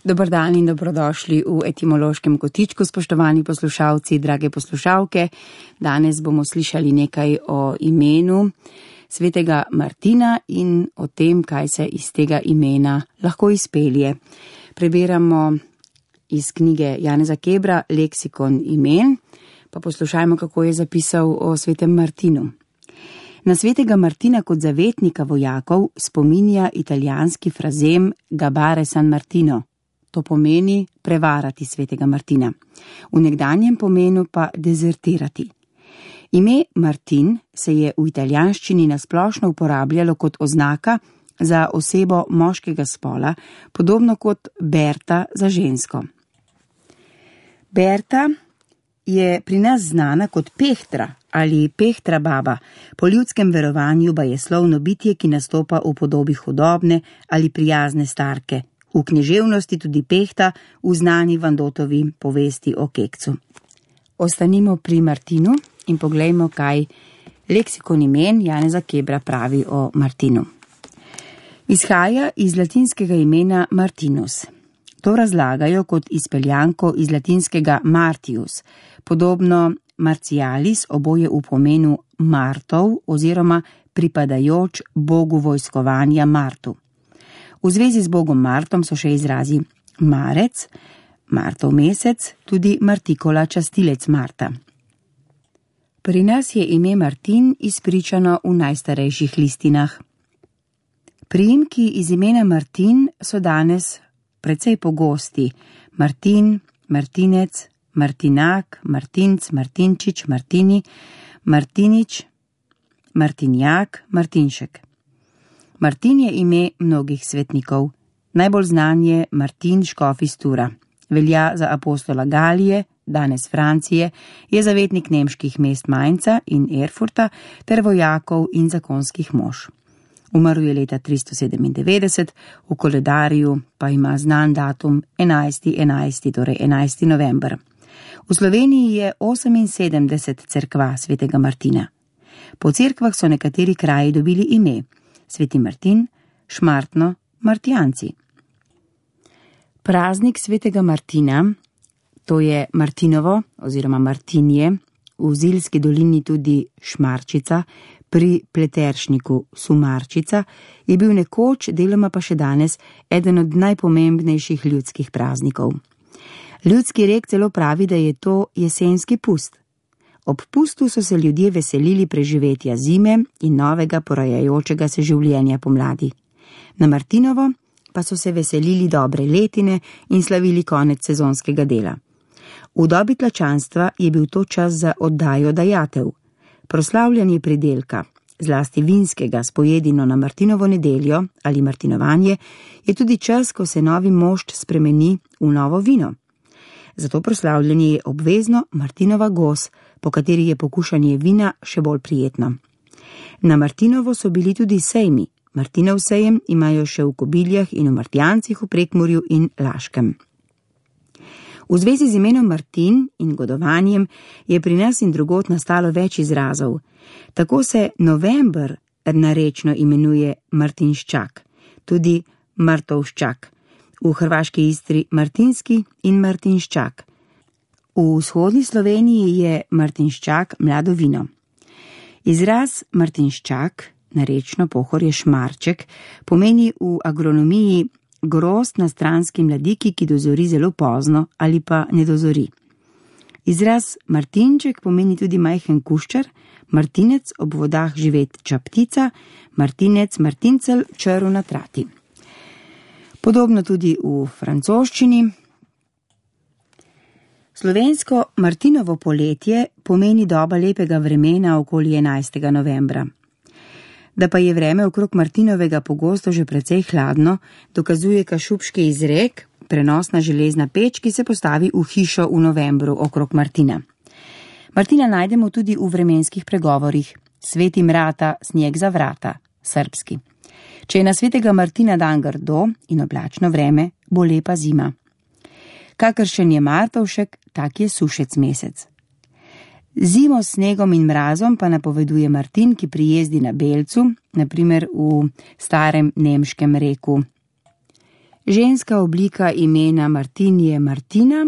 Dober dan in dobrodošli v etimološkem kotičku, spoštovani poslušalci, drage poslušalke. Danes bomo slišali nekaj o imenu svetega Martina in o tem, kaj se iz tega imena lahko izpelje. Preberamo iz knjige Janeza Kebra Leksikon imen, pa poslušajmo, kako je zapisal o svetem Martinu. Na svetega Martina kot zavetnika vojakov spominja italijanski frazem Gabare San Martino. To pomeni prevarati svetega Martina. V nekdanjem pomenu pa dezertirati. Ime Martin se je v italijanščini nasplošno uporabljalo kot oznaka za osebo moškega spola, podobno kot Berta za žensko. Berta je pri nas znana kot Pehtra ali Pehtra baba, po ljudskem verovanju bajeslovno bitje, ki nastopa v podobi hudobne ali prijazne starke. V književnosti tudi Pehta v znani Vandotovi povesti o Kekcu. Ostanimo pri Martinu in poglejmo, kaj leksikon imen Janeza Kebra pravi o Martinu. Izhaja iz latinskega imena Martinus. To razlagajo kot izpeljanko iz latinskega Martius, podobno Martialis, oboje v pomenu Martov oziroma pripadajoč bogu vojskovanja Martu. V zvezi z bogom Martom so še izrazi Marec, Martov mesec, tudi Martikola, častilec Marta. Pri nas je ime Martin izpričano v najstarejših listinah. Priimki iz imena Martin so danes precej pogosti. Martin, Martinec, Martinak, Martinc, Martinčič, Martini, Martinič, Martinjak, Martinšek. Martin je ime mnogih svetnikov. Najbolj znan je Martin škof iz Tura. Velja za apostola Galije, danes Francije, je zavetnik nemških mest Mainza in Erfurta ter vojakov in zakonskih mož. Umrl je leta 397, v koledarju pa ima znan datum 11. torej 11. november. V Sloveniji je 78 cerkva svetega Martina. Po cerkvah so nekateri kraji dobili ime Sveti Martin, Šmartno, Martijanci. Praznik svetega Martina, to je Martinovo oziroma Martinje, v Zilski dolini tudi Šmarčica, pri Pleteršniku Sumarčica, je bil nekoč, deloma pa še danes, eden od najpomembnejših ljudskih praznikov. Ljudski rek celo pravi, da je to jesenski pust. Ob pustu so se ljudje veselili preživetja zime in novega porajajočega se življenja pomladi. Na Martinovo pa so se veselili dobre letine in slavili konec sezonskega dela. V dobi tlačanstva je bil to čas za oddajo dajatev. Proslavljanje pridelka, zlasti vinskega s pojedino na Martinovo nedeljo ali martinovanje, je tudi čas, ko se novi mošt spremeni v novo vino. Zato proslavljanje je obvezno Martinova gos, po kateri je pokušanje vina še bolj prijetno. Na Martinovo so bili tudi sejmi. Martinov sejem imajo še v Kobiljah in v Martijancih v Prekmurju in Laškem. V zvezi z imenom Martin in godovanjem je pri nas in drugod nastalo več izrazov. Tako se november narečno imenuje Martinščak, tudi Martovščak. V hrvaški Istri Martinski in Martinščak. V vzhodni Sloveniji je Martinščak mlado vino. Izraz Martinščak, narečno pohorje šmarček, pomeni v agronomiji grozd na stranski mladiki, ki dozori zelo pozno ali pa ne dozori. Izraz Martinček pomeni tudi majhen kuščar, Martinec ob vodah živeča ptica, Martinec, Martincel, črv na trati. Podobno tudi v francoščini. Slovensko Martinovo poletje pomeni doba lepega vremena okoli 11. novembra. Da pa je vreme okrog Martinovega pogosto že precej hladno, dokazuje kašubški izrek, prenosna železna peč, ki se postavi v hišo v novembru okrog Martina. Martina najdemo tudi v vremenskih pregovorih. Sveti mrata, snijeg za vrata, srbski. Če je na svetega Martina dan grdo in oblačno vreme, bo lepa zima. Kakršen je Martovšek, tak je sušec mesec. Zimo s snegom in mrazom pa napoveduje Martin, ki prijezdi na belcu, naprimer v starem nemškem reku Ženska oblika imena Martin je Martina,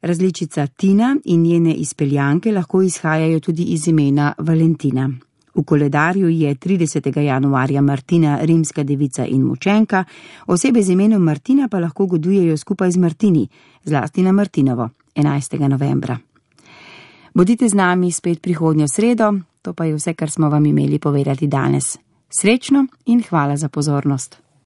različica Tina in njene izpeljanke lahko izhajajo tudi iz imena Valentina. V koledarju je 30. januarja Martina rimska devica in mučenka, osebe z imenom Martina pa lahko godujejo skupaj z Martini, zlasti na Martinovo, 11. novembra. Bodite z nami spet prihodnjo sredo, to pa je vse, kar smo vam imeli povedati danes. Srečno in hvala za pozornost.